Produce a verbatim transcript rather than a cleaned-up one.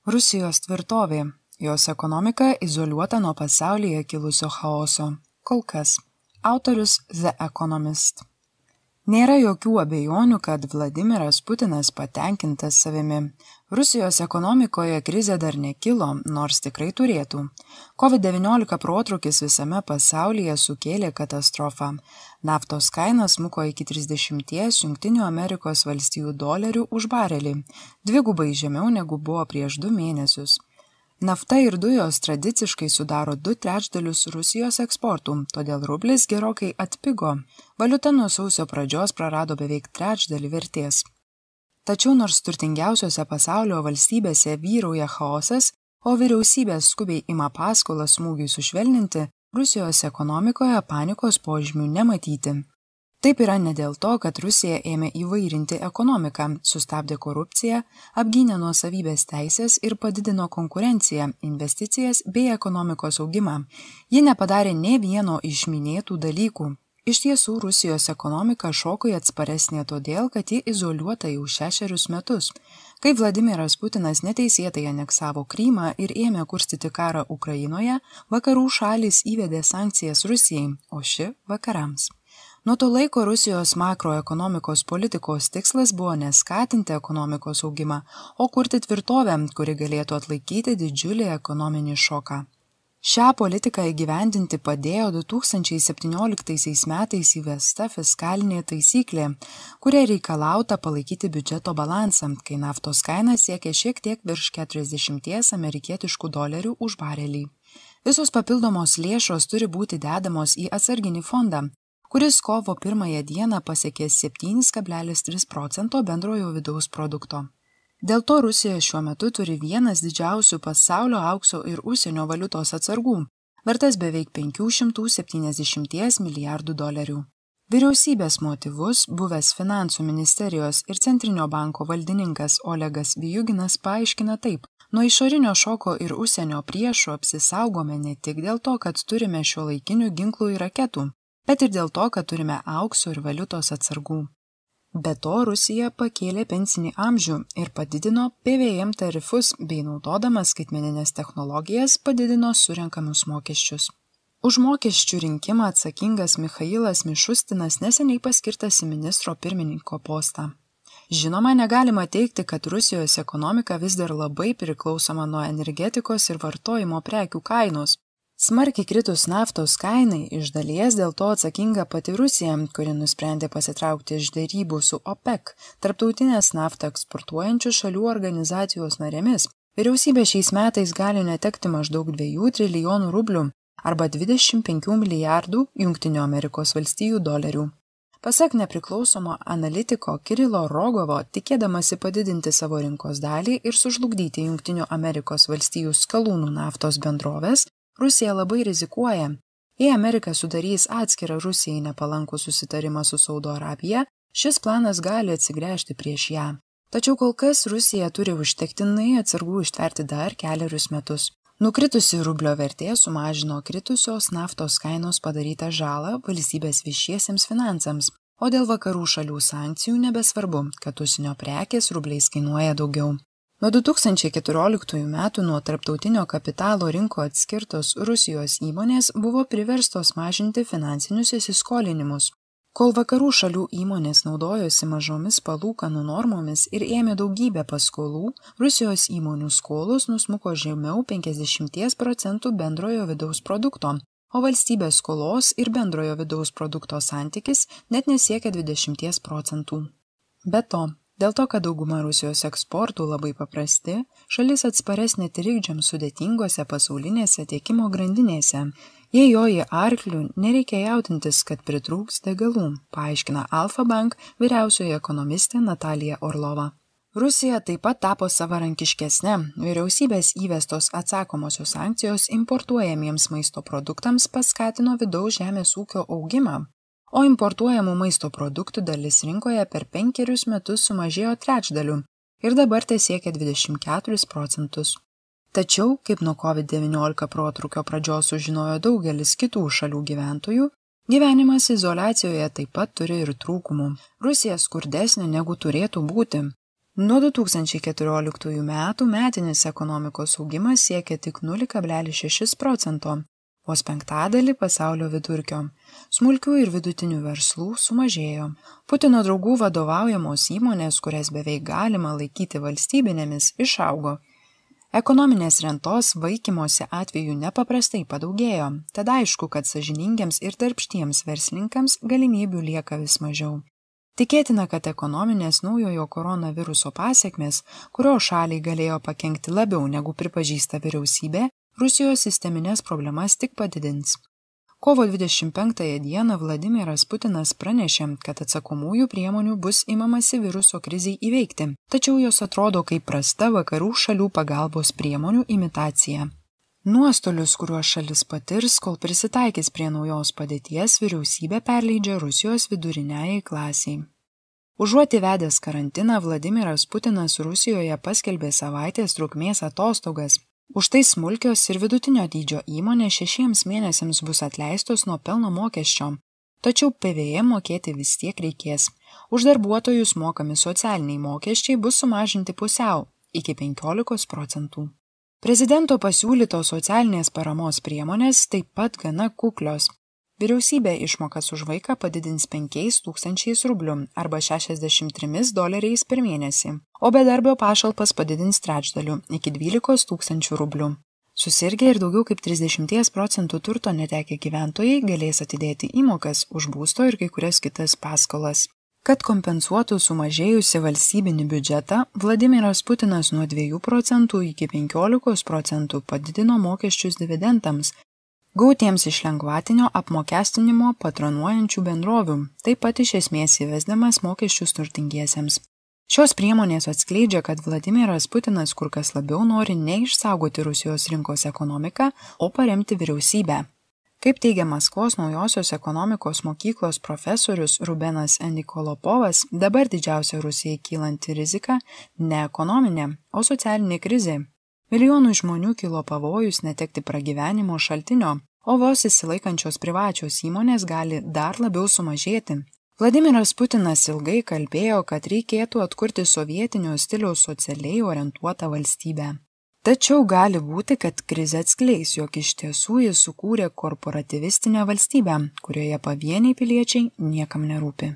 Rusijos tvirtovė, jos ekonomika izoliuota nuo pasaulyje kilusio chaoso. Kol kas. Autorius The Economist. Nėra jokių abejonių, kad Vladimiras Putinas patenkintas savimi. Rusijos ekonomikoje krizė dar nekilo, nors tikrai turėtų. COVID devyniolika protrūkis visame pasaulyje sukėlė katastrofą. Naftos kaina smuko iki trisdešimt Jungtinių Amerikos valstijų dolerių už barelį, dvigubai žemiau negu buvo prieš du mėnesius. Nafta ir dujos tradiciškai sudaro du trečdalius Rusijos eksportų, todėl rublis gerokai atpigo. Valiuta nuo sausio pradžios prarado beveik trečdalį vertės. Tačiau nors turtingiausiose pasaulio valstybėse vyrauja chaosas, o vyriausybės skubiai ima paskolą smūgiui sušvelninti, Rusijos ekonomikoje panikos požymių nematyti. Taip yra ne dėl to, kad Rusija ėmė įvairinti ekonomiką, sustabdė korupciją, apgynė nuosavybės teisės ir padidino konkurenciją, investicijas bei ekonomikos augimą. Ji nepadarė nė vieno iš minėtų dalykų. Iš tiesų, Rusijos ekonomika šokui atsparesnė todėl, kad ji izoliuota jau šešerius metus. Kai Vladimiras Putinas neteisėtai aneksavo Krymą ir ėmė kurstyti karą Ukrainoje, vakarų šalys įvedė sankcijas Rusijai, o ši vakarams. Nuo to laiko Rusijos makroekonomikos politikos tikslas buvo neskatinti ekonomikos augimą, o kurti tvirtovę, kuri galėtų atlaikyti didžiulį ekonominį šoką. Šią politiką įgyvendinti padėjo du tūkstančiai septynioliktaisiais metais įvesta fiskalinė taisyklė, kuria reikalauta palaikyti biudžeto balansą, kai naftos kaina siekia šiek tiek virš keturiasdešimties amerikietiškų dolerių už barelį. Visos papildomos lėšos turi būti dedamos į atsarginį fondą, kuris kovo pirmąją dieną pasiekė septyni kablelis trys procento bendrojo vidaus produkto. Dėl to Rusija šiuo metu turi vienas didžiausių pasaulio aukso ir užsienio valiutos atsargų, vertas beveik penkių šimtų septyniasdešimties milijardų dolerių. Vyriausybės motyvus buvęs finansų ministerijos ir centrinio banko valdininkas Olegas Vyjuginas paaiškina taip: nuo išorinio šoko ir užsienio priešų apsisaugome ne tik dėl to, kad turime šiuolaikinių ginklų ir raketų, bet ir dėl to, kad turime aukso ir valiutos atsargų. Be to, Rusija pakėlė pensinį amžių ir padidino P V M tarifus bei naudodama skaitmeninės technologijas padidino surenkamus mokesčius. Už mokesčių rinkimą atsakingas Michailas Mišustinas neseniai paskirtas į ministro pirmininko postą. Žinoma, negalima teigti, kad Rusijos ekonomika vis dar labai priklausoma nuo energetikos ir vartojimo prekių kainos. Smarkiai kritus naftos kainai, iš dalies dėl to atsakinga pati Rusija, kuri nusprendė pasitraukti iš derybų su OPEC, tarptautinės naftą eksportuojančių šalių organizacijos narėmis. Vyriausybė šiais metais gali netekti maždaug dviejų trilijonų rublių arba dvidešimt penkių milijardų Jungtinių Amerikos valstijų dolerių. Pasak nepriklausomo analitiko Kirilo Rogovo, tikėdamasi padidinti savo rinkos dalį ir sužlugdyti Jungtinių Amerikos valstijų skalūnų naftos bendrovės, Rusija labai rizikuoja. Jei Amerika sudarys atskirą Rusijai nepalankų susitarimą su Saudo Arabija, šis planas gali atsigręžti prieš ją. Tačiau kol kas Rusija turi užtektinai atsargų ištverti dar kelerius metus. Nukritusi rublio vertė sumažino kritusios naftos kainos padarytą žalą valstybės viešiesiems finansams, o dėl vakarų šalių sankcijų nebesvarbu, kad užsienio prekės rubliais kainuoja daugiau. Nuo du tūkstančiai keturioliktųjų metų nuo tarptautinio kapitalo rinko atskirtos Rusijos įmonės buvo priverstos mažinti finansinius įsiskolinimus. Kol vakarų šalių įmonės naudojosi mažomis palūkanų normomis ir ėmė daugybę paskolų, Rusijos įmonių skolos nusmuko žemiau penkiasdešimt procentų bendrojo vidaus produkto, o valstybės skolos ir bendrojo vidaus produkto santykis net nesiekia dvidešimt procentų. Be to, dėl to, kad dauguma Rusijos eksportų labai paprasti, šalis atsparesnė trikdžiams sudėtingose pasaulinėse tiekimo grandinėse. Jei joji arklių, nereikia jaudintis, kad pritrūks degalų, paaiškina Alfa Bank vyriausioji ekonomistė Natalija Orlova. Rusija taip pat tapo savarankiškesnė. Vyriausybės įvestos atsakomosios sankcijos importuojamiems maisto produktams paskatino vidaus žemės ūkio augimą, o importuojamų maisto produktų dalis rinkoje per penkerius metus sumažėjo trečdaliu ir dabar tesiekia dvidešimt keturis procentus. Tačiau, kaip nuo COVID devyniolika protrūkio pradžios sužinojo daugelis kitų šalių gyventojų, gyvenimas izoliacijoje taip pat turi ir trūkumų. Rusija skurdesnė negu turėtų būti. Nuo du tūkstančiai keturioliktųjų metų metinis ekonomikos augimas siekia tik nulį kablelis šešis procento, vos penktadalį pasaulio vidurkio. Smulkių ir vidutinių verslų sumažėjo. Putino draugų vadovaujamos įmonės, kurias beveik galima laikyti valstybinėmis, išaugo. Ekonominės rentos vaikymosi atveju nepaprastai padaugėjo, tad aišku, kad sąžiningiems ir darbštiems verslininkams galimybių lieka vis mažiau. Tikėtina, kad ekonominės naujojo koronaviruso pasekmės, kurio šaliai galėjo pakenkti labiau negu pripažįsta vyriausybė, Rusijos sisteminės problemas tik padidins. Kovo dvidešimt penktąją dieną Vladimiras Putinas pranešė, kad atsakomųjų priemonių bus imamasi viruso krizei įveikti, tačiau jos atrodo kaip prasta vakarų šalių pagalbos priemonių imitacija. Nuostolius, kuriuos šalis patirs, kol prisitaikys prie naujos padėties, vyriausybė perleidžia Rusijos viduriniajai klasiai. Užuot įvedęs karantiną, Vladimiras Putinas Rusijoje paskelbė savaitės trukmės atostogas. Už tai smulkios ir vidutinio dydžio įmonės šešiems mėnesiams bus atleistos nuo pelno mokesčio, tačiau P V M mokėti vis tiek reikės. Už darbuotojus mokami socialiniai mokesčiai bus sumažinti pusiau, iki penkiolikos procentų. Prezidento pasiūlytos socialinės paramos priemonės taip pat gana kuklios. Vyriausybė išmokas už vaiką padidins penkiais tūkstančiais rublių arba šešiasdešimt trimis doleriais per mėnesį, o bedarbio pašalpas padidins trečdaliu iki dvylikos tūkstančių rublių. Susirgę ir daugiau kaip trisdešimt procentų turto netekę gyventojai galės atidėti įmokas už būsto ir kai kurias kitas paskolas. Kad kompensuotų sumažėjusi valstybinį biudžetą, Vladimiras Putinas nuo dviejų procentų iki penkiolikos procentų padidino mokesčius dividendams, gautiems iš lengvatinio apmokestinimo patronuojančių bendrovių, taip pat iš esmės įvesdamas mokesčius turtingiesiems. Šios priemonės atskleidžia, kad Vladimiras Putinas kur kas labiau nori ne išsaugoti Rusijos rinkos ekonomiką, o paremti vyriausybę. Kaip teigia Maskvos naujosios ekonomikos mokyklos profesorius Rubenas Nikolopovas, dabar didžiausia Rusijai kylanti rizika ne ekonominė, o socialinė krizė. Milijonų žmonių kilo pavojus netekti pragyvenimo šaltinio, o vos įsilaikančios privačios įmonės gali dar labiau sumažėti. Vladimiras Putinas ilgai kalbėjo, kad reikėtų atkurti sovietinio stiliaus socialiai orientuotą valstybę. Tačiau gali būti, kad krizė atskleis, jog iš tiesų jis sukūrė korporatyvistinę valstybę, kurioje pavieniai piliečiai niekam nerūpi.